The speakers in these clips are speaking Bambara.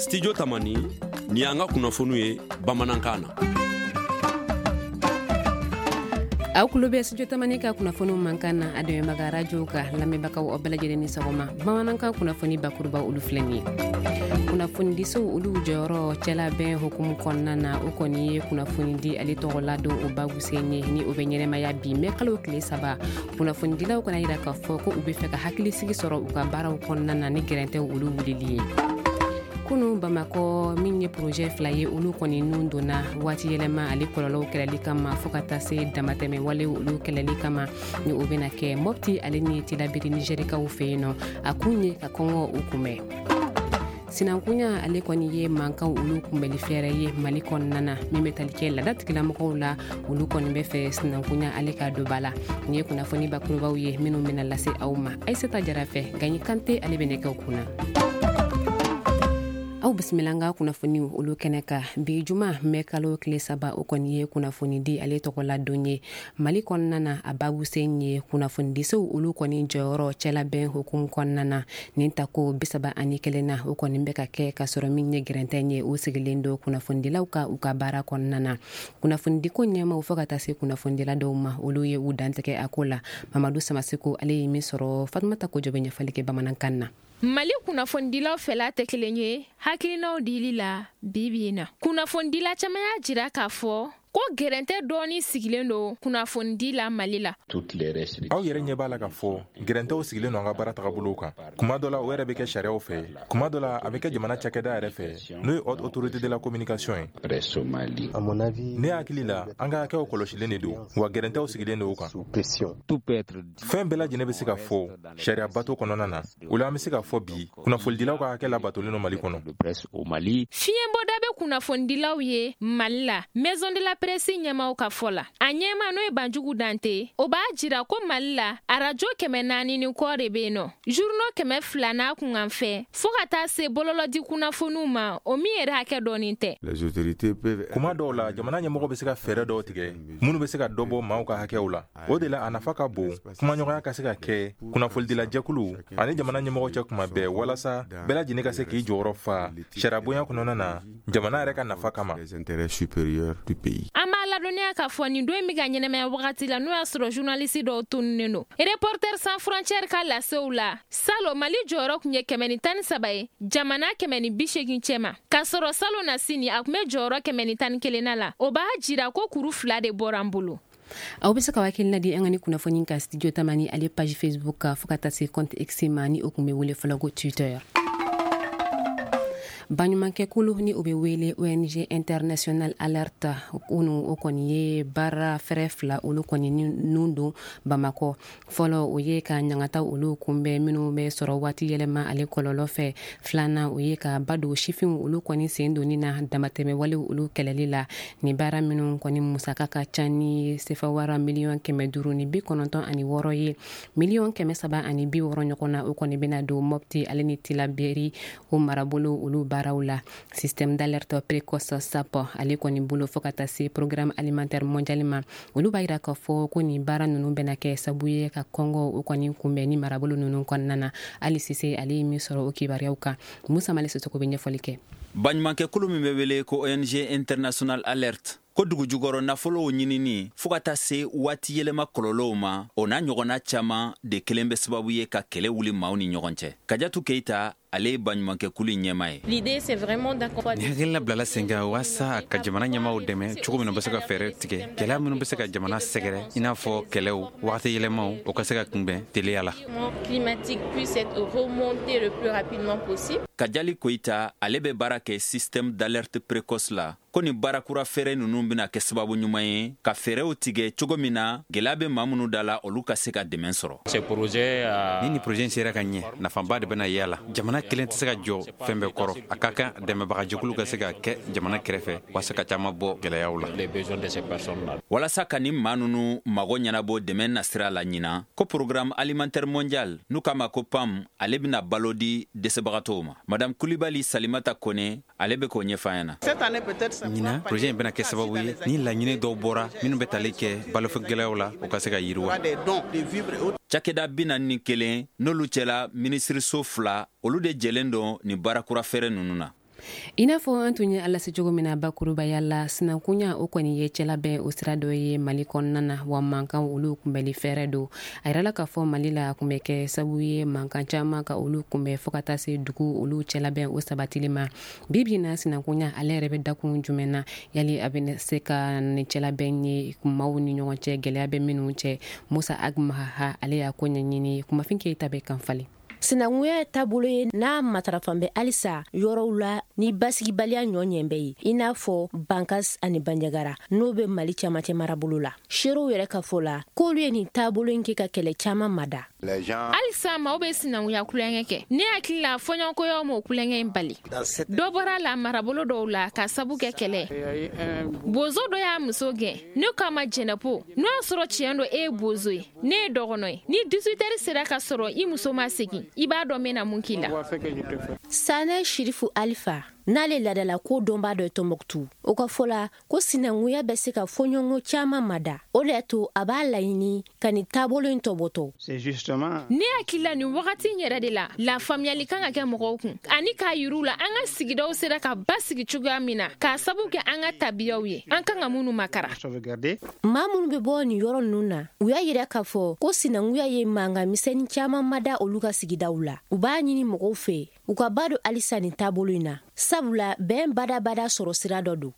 Studio Tamani, ni y'an ka kunnafoniw ye bamanankan na. Aw tulo bɛ Studio Tamani ka kunnafoniw mankan na, a dɛmɛbaga radio ka lamɛnbagaw, aw bɛɛ lajɛlen ni sɔgɔma. Bamanankan kunnafoni bakuruba, olu filɛ nin ye. Kunnafonidisow olu jɔyɔrɔ cɛlabɛn hukumu kɔnɔna na, o kɔni ye kunnafonidi ale tɔgɔla don o babusen ye, ni o bɛ ɲɛnɛmaya bi mɛ kalo tile 3. Kunnafonidilaw kana yira k'a fɔ ko u bɛ fɛ ka hakilisigi sɔrɔ u ka baaraw kɔnɔna na ni gɛrɛntɛw olu wulili ye. Kunu Bamakɔ, min ye projet fila ye, olu kɔni nun donna waati yɛlɛma ale kɔlɔlɔw kɛlɛli kama fɔɔ ka taa se damatɛmɛ walew olu kɛlɛli kama, ni o bɛna kɛ Mɔpti ale ni Tilaberi Nizɛrikaw fɛ yen nɔ. A kun ye ka kɔngɔ u kunbɛn. Sinankunya ale kɔni ye mankanw olu kunbɛli fɛɛrɛ ye Mali kɔnɔna na, min bɛ tali kɛ laada tigilamɔgɔw la, olu kɔni bɛ fɛ sinankunya ale ka don ba la. Nin ye kunnafoni bakurubaw ye minnu bɛna lase aw ma Ayisata Jara fɛ. Gaɲi Kante ale bɛ nɛgɛw kunna. Aw bisimila an ka kunnafoniw olu kɛnɛ kan bi juma mɛ kalo tile 3. O kɔni ye kunnafonidi ale tɔgɔla don ye Mali kɔnɔna na. A babusen ye kunnafonidisow olu kɔni jɔyɔrɔ cɛlabɛn hukumu kɔnɔna na. Nin tako 31 na, o kɔni bɛ ka kɛ ka sɔrɔ min ye gɛrɛntɛ ye, o sigilen don kunnafonidilaw ka u ka baara kɔnɔna na. Kunnafonidiko ɲɛmaw fo ka taa se kunnafonidila dɔw ma, olu ye u dantigɛ a ko la. Mamadu Samaseko ale ye min sɔrɔ, Fatumata Kojo bɛ ɲɛfɔli kɛ bamanankan na. Mali kunnafonidilaw fɛla tɛ kelen ye hakilinaw dili la bi bi in na. Kunnafonidila caman y'a jira k'a fɔ ko gɛrɛntɛ dɔɔni sigilen don kunnafonidi la Mali la. Aw yɛrɛ ɲɛ b'a la k'a fɔ gɛrɛntɛw sigilen don an ka baara tagabolow kan. Kuma dɔ la, o yɛrɛ bɛ kɛ sariyaw fɛ, kuma dɔ la, a bɛ kɛ jamana cakɛda yɛrɛ fɛ, n'o ye Haute Autorité de la Communication ye. Ne hakili la, an ka hakɛw kɔlɔsilen de don wa gɛrɛntɛw sigilen don o kan. Fɛn bɛɛ lajɛlen bɛ se ka fɔ sariya bato kɔnɔna na. O la, an bɛ se ka fɔ bi kunnafonidilaw ka hakɛ labatolen don Mali kɔnɔ. Fiɲɛbɔda bɛ kunnafonidilaw ye Mali la, Maison de la Presse ɲɛmaw ka fɔ la. A ɲɛma, n'o ye Banjugu Dante, o b'a jira ko Mali la, arajo 400 ni kɔ de bɛ yen nɔ, journaux 200 n'a kunkan fɛ, fɔɔ ka taa se bɔlɔlɔdi kunnafoniw ma, o min yɛrɛ hakɛ dɔɔnin tɛ. Kuma dɔw la, jamana ɲɛmɔgɔ bɛ se ka fɛɛrɛ dɔw tigɛ minnu bɛ se ka dɔ bɔ maaw ka hakɛw la. O de la, a nafa ka bon kumaɲɔgɔnya ka se ka kɛ kunnafonidilajɛkulu ani jamana ɲɛmɔgɔ cɛ kuma bɛɛ, walasa bɛɛ lajɛlen ka se k'i jɔyɔrɔ fa sariya bonya kɔnɔna na, jamana yɛrɛ ka nafa kama. An b'a ladɔnniya k'a fɔ nin don in bɛ ka ɲɛnɛmaya wagati la n'o y'a sɔrɔ journaliste dɔw tununnen don. Reporter Sans Frontières ka lasew la, salo Mali jɔyɔrɔ tun ye 113 ye jamana 180 cɛma, k'a sɔrɔ salo na sini a tun bɛ jɔyɔrɔ 111nan la. O b'a jira ko kuru fila de bɔra an bolo. Aw bɛ se ka hakilina di an ka ni kunnafoni kan Studio Tamani ale page Facebook kan, fo ka taa se compte X ma, ni o tun bɛ wele fɔlɔ ko Twitter. Baɲumankɛkulu ni o bɛ wele ONG International Alerte, kunu o kɔni ye baara fɛrɛ fila olu kɔni nun don Bamakɔ. Fɔlɔ, o ye ka ɲangata olu kunbɛn minnu bɛ sɔrɔ waati yɛlɛma ale kɔlɔlɔ fɛ. Filanan, o ye ka ba don sifinw olu kɔni sen donni na damatɛmɛ walew olu kɛlɛli la. Nin baara minnu kɔni musaka ka ca ni sefa wara 596 miliyɔn ye, 360 miliyɔn ɲɔgɔn na, o kɔni bɛna don Mɔpti ale ni Tilaberi o marabolo olu baaraw la. Système d'alerte précoce SAP ale kɔni bolo, fo ka taa se Programme alimentaire mondial ma, olu b'a yira k'a fɔ ko nin baara ninnu bɛna kɛ sabu ye ka kɔngɔ o kɔni kunbɛn ni marabolo ninnu kɔnɔna na. Hali Sise ale ye min sɔrɔ o kibaruyaw kan, Musa Mali Sisoko bɛ ɲɛfɔli kɛ. Baɲumankɛkulu min bɛ wele ko ONG International Alerte ko dugujukɔrɔ nafolow ɲinini fɔɔ ka taa se waati yɛlɛma kɔlɔlɔw ma, o n'a ɲɔgɔnna caaman de kelen bɛ sababu ye ka kɛlɛ wuli maaw ni ɲɔgɔn cɛ. Kajatu Keita, ale ye baɲumankɛkulu ɲɛma ye. Ni hakilina bilala sen kan waasa ka jamana ɲɛmaw dɛmɛ cogo min na, bɛ se ka fɛɛrɛ tigɛ gɛlɛya minnu bɛ se ka jamana sɛgɛrɛ, i n'a fɔ kɛlɛw, wagati yɛlɛmaw, o ka se ka kunbɛn teliya la. Kajali Koyita, ale bɛ baara kɛ Système d'alerte précoce la, ko nin baarakura fɛɛrɛ ninnu bɛna kɛ sababu ɲuman ye ka fɛɛrɛw tigɛ cogo min na gwɛlɛya bɛ maa minnu da la, olu ka se ka dɛmɛ sɔrɔ. Ni nin projet sera ka ɲɛ, nafaba de bɛna ye a la. Jamana kelen tɛ se ka jɔ fɛn bɛɛ kɔrɔ. A ka kan dɛmɛbagajɛkulu ka se ka kɛ jamana kɛrɛfɛ waasa ka caaman bɔ gwɛlɛyaw la. Walasa ka nin maa ninnu mago ɲɛnabɔ dɛmɛ nasira la ɲinan, ko Programme alimentaire mondial, n'u k'a ma ko PAM, ale bɛna balo di dɛsɛbagatɔw ma. Madame Kulibali Salimata Kone, ale bɛ k'o ɲɛfɔ an ɲɛna. Ɲinan projet in bɛna kɛ sababu ye ni laɲini dɔw bɔra minnu bɛ tali kɛ balofɛ gɛlɛyaw la, o ka se ka yiriwa. Cakɛda 41, n'olu cɛla minisiriso fila, olu de jɛlen don nin baarakura fɛɛrɛ ninnu na. I n'a fɔ an tun ye a lase cogo min na bakurubaya la, sinankunya o kɔni ye cɛlabɛn o sira dɔ ye Mali kɔnɔna na, wa mankan olu kunbɛli fɛɛrɛ don. A yirala k'a fɔ Mali la, a kun bɛ kɛ sababu ye mankan caman ka olu kunbɛn fo ka taa se dugu olu cɛlabɛn o sabatili ma. Bi bi na, sinankunya ale yɛrɛ bɛ dakun jumɛn na? Yali a bɛ se ka ni cɛlabɛn ye maaw ni ɲɔgɔn cɛ, gɛlɛya bɛ minnu cɛ? Musa Ag Mahaha ale y'a ko ɲɛɲini. Kumafin Keyita bɛ kan falen. Sinankunya taabolo ye n'a matarafan bɛ halisa yɔrɔw la ni basigibaliya ɲɔ ɲɛ bɛ ye, i n'a fɔ Bankas ani Banjagara, n'o bɛ Mali camancɛ marabolo la. Seerew yɛrɛ ka fɔ la k'olu ye nin taabolo in kɛ ka kɛlɛ caman mada. Halisa maaw bɛ sinankunya kulonkɛ kɛ. Ne hakili la, fɔɲɔgɔnkɔyaw m'o kulonkɛ in bali. Dɔ bɔra la marabolo dɔw la ka sabu kɛ kɛlɛ. Bozo dɔ y'a muso gɛn. Ne k'a ma, Jɛnɛpo, n'o y'a sɔrɔ tiɲɛ don e ye bozo ye, ne ye dɔgɔnɔ ye, ni 18 heures sera ka sɔrɔ i muso ma segin, i b'a dɔn n bɛna mun k'i la. Sanɛ Shirifu Alifa, n'ale ladala ko dɔnbaa dɔ ye Tɔnbɔkutu, o ka fɔ la ko sinankunya bɛ se ka fɔɲɔgɔnkɔ caman mada. O de y'a to a b'a laɲini ka nin taabolo in tɔbɔtɔ. Ne hakili la, nin wagati in yɛrɛ de la, lafaamuyali kan ka kɛ mɔgɔw kun ani k'a yir'u la an ka sigidaw sera ka basigi cogoya min na k'a sabu kɛ an ka tabiyaw ye, an kan ka minnu makara. Maa minnu bɛ bɔ nin yɔrɔ ninnu na, u y'a yira k'a fɔ ko sinankunya ye mankan misɛnnin caman mada olu ka sigidaw la. U b'a ɲini mɔgɔw fɛ u ka ba don halisa nin taabolo in na, sabula bɛn badabada sɔrɔ sira dɔ don.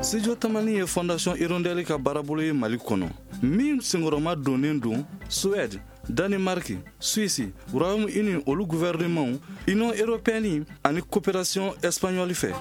Studio Tamani ye Fondation Hirondelle ka baarabolo ye Mali kɔnɔ, min senkɔrɔma donnen don Suède, Danemark, Suisse, Royaume-Uni, olu gouvernement, Union européenne ani coopération espagnole fɛ.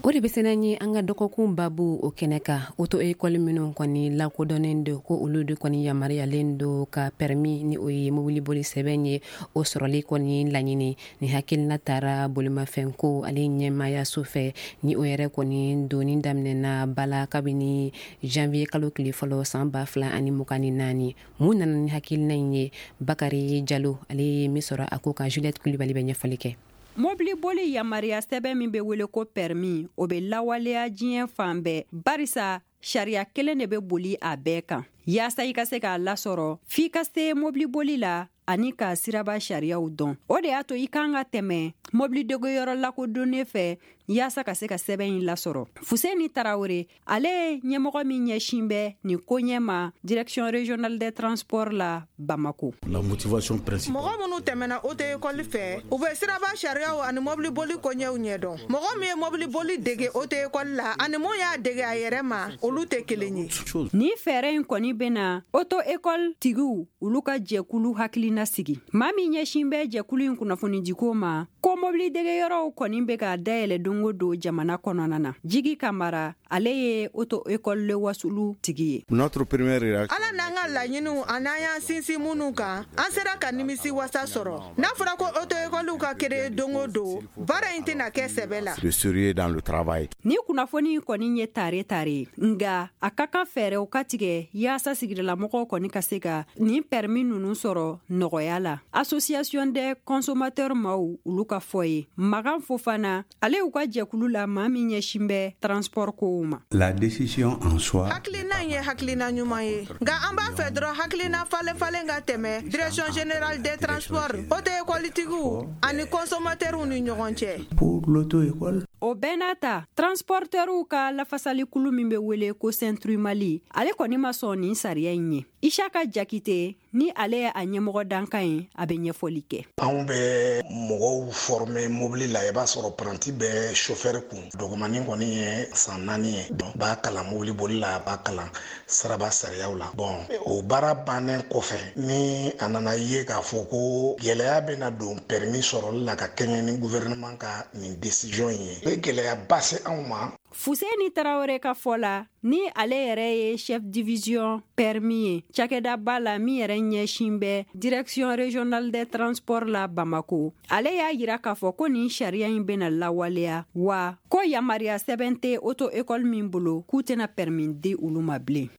O de bɛ se ye an ka dɔgɔkun babu o kɛnɛ kan. Auto école minnu kɔni lakodɔnnen don ko olu de kɔni yamaruyalen don ka permis, ni o ye mobiliboli sɛbɛn ye, o sɔrɔli kɔni laɲini. Ni hakilina taara bolimafɛn ko ale ɲɛmayaso fɛ, ni o yɛrɛ kɔni donni daminɛna bala kabini janvier kalo tile fɔlɔ san 2024. Mun nana ni hakilina in ye? Bakari Jalo, ale ye min sɔrɔ a ko kan, Juliette Kulibali bɛ ɲɛfɔli kɛ. Mobili boli yamaruya sɛbɛn min bɛ wele ko permis, o bɛ lawaleya diɲɛ fan bɛɛ, barisa sariya kelen de bɛ boli a bɛɛ kan. Yaasa i ka se k'a lasɔrɔ, f'i ka se mobili boli la ani ka siraba sariyaw dɔn. O de y'a to i kan ka tɛmɛ mobili degeyɔrɔ lakodonnen fɛ yaasa ka se ka sɛbɛn in lasɔrɔ. Fuseni Tarawele, ale ye ɲɛmɔgɔ min ɲɛsin bɛ nin koɲɛ ma direction régionale des transports la Bamako. La motivation principale. Mɔgɔ minnu tɛmɛna auto école fɛ, u bɛ siraba sariyaw ani mobili boli koɲɛw ɲɛdɔn. Mɔgɔ min ye mobili boli dege auto école la ani mun y'a dege a yɛrɛ ma, olu tɛ kelen ye. Nin fɛɛrɛ in kɔni bɛna auto école tigiw olu ka jɛkulu hakilina sigi. Maa min ɲɛsin bɛ jɛkulu in kunnafonidiko ma, ko mobili degeyɔrɔw kɔni bɛ ka dayɛlɛ don o don jamana kɔnɔna na. Jigi Kamara, ale ye auto école Le Wasulu tigi ye. Notre première réaction. Ala n'an ka laɲiniw ani an y'an sinsin minnu kan, an sera ka nimisi wasa sɔrɔ. N'a fɔra ko auto école ka créer don o don, baara in tɛna kɛ sɛbɛ la. Le sérieux dans le travail. Ni kunnafoni in kɔni ye tare tare ye, nka a ka kan fɛɛrɛw ka tigɛ yaasa sigidalamɔgɔw kɔni ka se ka nin permis ninnu sɔrɔ nɔgɔya la. Association des consommateurs maaw olu ka fɔ ye. Magan Fofana, ale y'u ka jɛkulu la maa min ɲɛsin bɛ transport kow ma. La décision en soi. Hakilina in ye hakilina ɲuman ye, nka an b'a fɛ dɔrɔn hakilina falen falen ka tɛmɛ direction générale des transports, auto école tigiw ani consommateurs ni ɲɔgɔn cɛ. Pour l'auto-école. O bɛɛ n'a ta, transportɛriw ka lafasalikulu min bɛ wele ko Centre Mali, ale kɔni ma sɔn nin sariya in ye. Isaka Jakite, ni ale ye a ɲɛmɔgɔ dankan ye, a bɛ ɲɛfɔli kɛ. Anw bɛ mɔgɔw former mobili la, i b'a sɔrɔ apprenti bɛ chauffeur kun. Dɔgɔmanin kɔni ye san 4 ye, b'a kalan mobili boli la, a b'a kalan siraba sariyaw la. Bon, o baara bannen kɔfɛ, ni a nana ye k'a fɔ ko gɛlɛya bɛna don permis sɔrɔli la ka kɛɲɛ ni gouvernement ka nin décision ye, o bɛ gɛlɛyaba se anw ma. Fuseni Tarawele ka fɔ la, ni ale yɛrɛ ye chef division permis ye cakɛdaba la min yɛrɛ ɲɛsin bɛ direction régionale des transports la Bamako, ale y'a yira k'a fɔ ko nin sariya in bɛna lawaleya, wa ko yamaruya sɛbɛn tɛ auto école min bolo, k'u tɛna permis di olu ma bilen.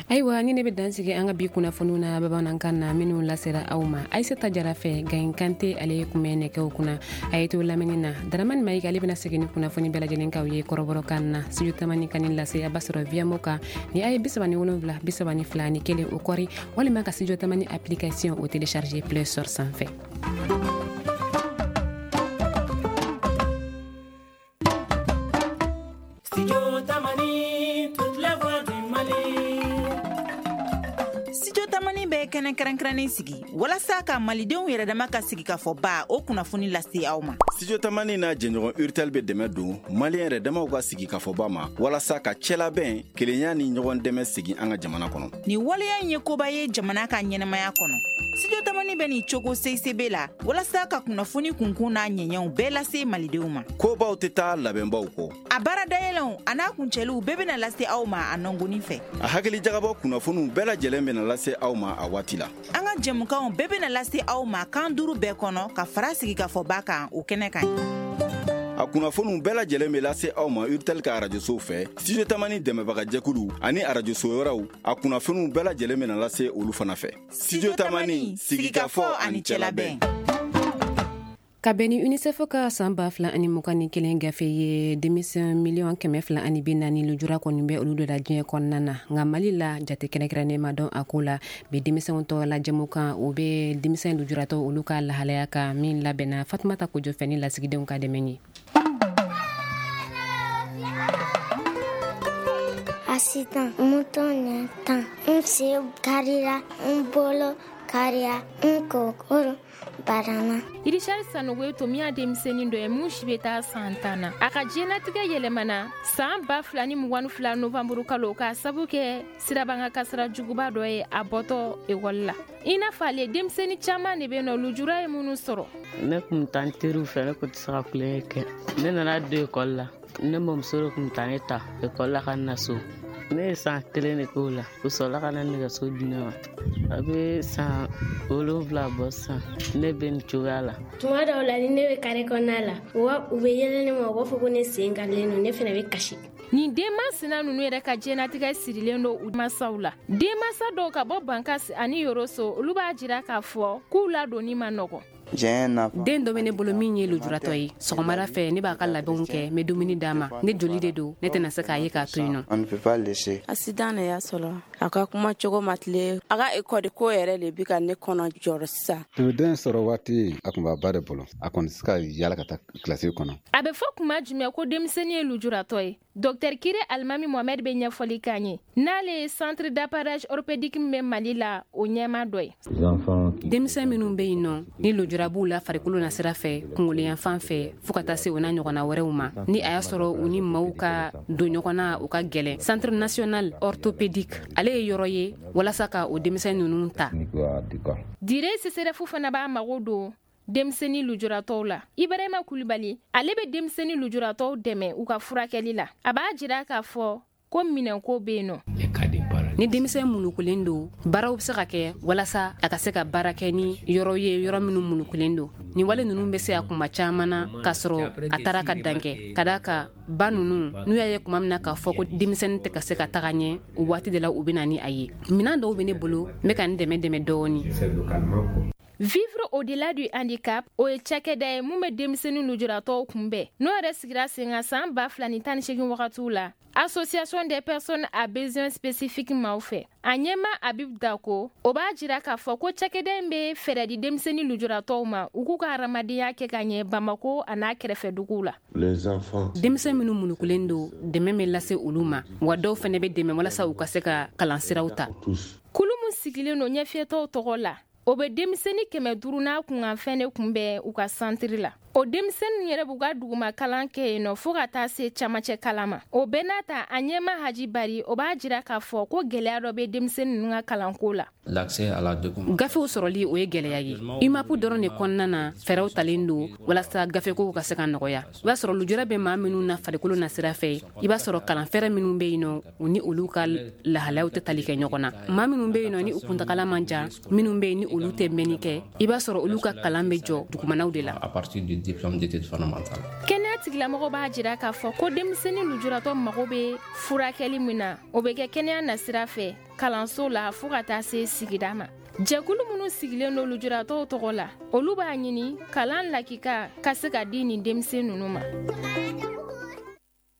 Ayiwa, ni ne bɛ dansigi an ka bi kunnafoniw na bamanankan na minnu lasera aw ma Ayisata Jara fɛ. Gayin Kante, ale kun bɛ nɛgɛw kunna. A ye to lamɛnni na. Daramani Mayiga, ale bɛna segin ni kunnafoni bɛɛ lajɛlen k'aw ye kɔrɔbɔrɔkan na. Studio Tamani ka nin lase, a b'a sɔrɔ Viamo kan ni a ye 37 32 1 o kɔri, walima ka Studio Tamani application o télécharger Play Store sanfɛ. Studio Tamani, toutes les voix du Mali. Studio Tamani bɛ kɛnɛ kɛrɛnkɛrɛnnen sigi walasa ka malidenw yɛrɛ dama ka sigikafɔba o kunnafoni lase aw ma. Studio Tamani n'a jɛɲɔgɔn Urtel bɛ dɛmɛ don Maliyɛn yɛrɛ damaw ka sigikafɔba ma, walasa ka cɛlabɛn, kelenya ni ɲɔgɔn dɛmɛ segin an ka jamana kɔnɔ. Nin waleya in ye koba ye jamana ka ɲɛnɛmaya kɔnɔ. Studio Tamani bɛ nin cogo CICB la walasa ka kunnafoni kunkun n'a ɲɛɲɛw bɛɛ lase malidenw ma. Kobaw tɛ taa labɛnbaw kɔ. A baara dayɛlɛnw a n'a kuncɛliw bɛɛ bɛna lase aw ma a nɔngoni fɛ. A hakili jagabɔ kunnafoniw bɛɛ lajɛlen bɛna lase aw ma a waati la. An ka jɛmukanw bɛɛ bɛna lase aw ma kan duuru bɛɛ kɔnɔ, ka fara sigikafɔba kan o kɛnɛ kan. A kunnafoniw bɛɛ lajɛlen bɛ lase aw ma Urtel ka arajosow fɛ. Studio Tamani dɛmɛbagajɛkulu ani arajoso wɛrɛw, a kunnafoniw bɛɛ lajɛlen bɛna lase olu fana fɛ. Studio Tamani, sigikafɔ ani cɛlabɛn. Ka bɛn ni UNICEF ka san 2021 gafe ye, denmisɛn 240 miliyɔn lujura kɔni bɛ olu de la diɲɛ kɔnɔna na. Nka Mali la, jate kɛrɛnkɛrɛnnen ma dɔn a ko la. Bi denmisɛnw tɔgɔ la jɛmukan, o bɛ denmisɛn lujuratɔ olu ka lahalaya kan, min labɛnna Fatumata Kojo fɛ ni lasigidenw ka dɛmɛ ye. Accident moto ɲɛ 10, n sen karila, n bolo kariya, n kokoro banana. Richard Sanogo ye tomiya denmisɛnnin dɔ ye mun si bɛ taa san 10 na. A ka diɲɛnatigɛ yɛlɛmana san 2022 novanburu kalo, k'a sabu kɛ sirabanga kasara juguba dɔ ye a bɔtɔ ekɔli la. I n'a fɔ ale, denmisɛnnin caman de bɛ nɔ lujura ye minnu sɔrɔ. Ne kun taa n teriw fɛ, ne kun tɛ se ka kulonkɛ kɛ. Ne nana don ekɔli la, ne mamuso de kun taa ne ta ekɔli la ka na so. Ne ye san 1 de k'o la, o sɔrɔla ka na nɛgɛso di ne ma. A bɛ san 7 bɔ sisan, ne bɛ nin cogoya la. Tuma dɔw la, ni ne bɛ kare kɔnɔna la, u bɛ yɛlɛ ne ma, u b'a fɔ ko ne sen karilen don, ne fana bɛ kasi. Nin denmasina ninnu yɛrɛ ka diɲɛnatigɛ sirilen don u masaw la. Denmasa dɔw ka bɔ Bankasi ani Yoroso, olu b'a jira k'a fɔ k'u ladonni ma nɔgɔn. Den dɔ bɛ ne bolo min ye lujuratɔ ye. Sɔgɔmada fɛ, ne b'a ka labɛnw kɛ, n bɛ dumuni d'a ma. Ne joli de don, ne tɛna se k'a ye k'a to yen nɔ. Accident de y'a sɔrɔ. A ka kuma cogo ma tile, a ka ekɔli ko yɛrɛ de bi ka ne kɔnɔ jɔrɔ sisan. Den sɔrɔ waati, a kun b'a ba de bolo, a kɔni se ka yala ka taa kilasi kɔnɔ. A bɛ fɔ kuma jumɛn ko denmisɛnnin ye lujuratɔ ye? Dɔktɛr Kire Alimami Mohamɛd bɛ ɲɛfɔli k'an ye, n'ale ye centre d'appareillage orthopédique min bɛ Mali la, o ɲɛma dɔ ye. Denmisɛn minnu bɛ yen nɔ ni lujura b'u la farikolo na sira fɛ, kunkoloyanfan fɛ, fo ka taa se o n'a ɲɔgɔnna wɛrɛw ma, ni a y'a sɔrɔ u ni maaw ka don ɲɔgɔn na, u ka gɛlɛn, centre national orthopédique, ale ye yɔrɔ ye walasa ka o denmisɛn ninnu ta. Dire CSRéf fana b'a mago don denmisɛnnin lujuratɔw la. Ibrahima Kulibali, ale bɛ denmisɛnnin lujuratɔw dɛmɛ u ka furakɛli la. A b'a jira k'a fɔ ko minɛnko bɛ yen nɔ. Ni denmisɛn munukulen don, baaraw bɛ se ka kɛ walasa a ka se ka baara kɛ ni yɔrɔ ye, yɔrɔ minnu munukulen don. Nin wale ninnu bɛ se a kuma caman na k'a sɔrɔ a taara ka dan kɛ, ka d'a kan ba ninnu, n'u y'a ye tuma min na k'a fɔ ko denmisɛnnin tɛ ka se ka taga ɲɛ, o waati de la u bɛ na ni a ye. Minɛn dɔw bɛ ne bolo, n bɛ ka n dɛmɛ dɛmɛ dɔɔni. Vivre au-delà du handicap, o ye cakɛda ye mun bɛ denmisɛnnin lujuratɔw kunbɛn, n'o yɛrɛ sigira sen kan san 2018 wagatiw la, Association des personnes à besoins spécifiques maaw fɛ. A ɲɛma Abib Dako, o b'a jira k'a fɔ ko cakɛda in bɛ fɛɛrɛ di denmisɛnnin lujuratɔw ma, u k'u ka hadamadenya kɛ ka ɲɛ Bamako a n'a kɛrɛfɛduguw la. Denmisɛn minnu munukulen don, dɛmɛ bɛ lase olu ma, wa dɔw fana bɛ dɛmɛ walasa u ka se ka kalansiraw ta. Kulu min sigilen don ɲɛfiyɛtɔw tɔgɔ la, o bɛ denmisɛnnin 500 n'a kunkanfɛn de kunbɛn u ka santiri la. O denmisɛnnin yɛrɛ b'u ka duguma kalan kɛ yen nɔ fo ka taa se camancɛ kalan ma. O bɛɛ n'a ta, a ɲɛma Haji Bari, o b'a jira k'a fɔ ko gɛlɛya dɔ bɛ denmisɛnnin ninnu ka kalanko la. Gafew sɔrɔli, o ye gɛlɛya ye. UMAP dɔrɔn de kɔnɔna na, fɛɛrɛw talen don walasa gafekow ka se ka nɔgɔya. O b'a sɔrɔ lujura bɛ maa minnu na farikolo na sira fɛ, i b'a sɔrɔ kalanfɛɛrɛ minnu bɛ yen nɔ, u ni olu ka lahalayaw tɛ tali kɛ ɲɔgɔn na. Maa minnu bɛ yen nɔ ni u kuntagala man jan, minnu bɛ yen ni olu tɛ mɛnni kɛ, i b'a sɔrɔ olu ka kalan bɛ jɔ dugumanaw de la. diplôme d'études fondamentales. Kɛnɛya tigilamɔgɔ b'a jira k'a fɔ ko denmisɛnnin lujuratɔ mago bɛ furakɛli min na, o bɛ kɛ kɛnɛya nasira fɛ, kalanso la, fɔɔ ka taa se sigida ma. Jɛkulu minnu sigilen don lujuratɔw tɔgɔ la, olu b'a ɲini kalan lakika ka se ka di nin denmisɛn ninnu ma.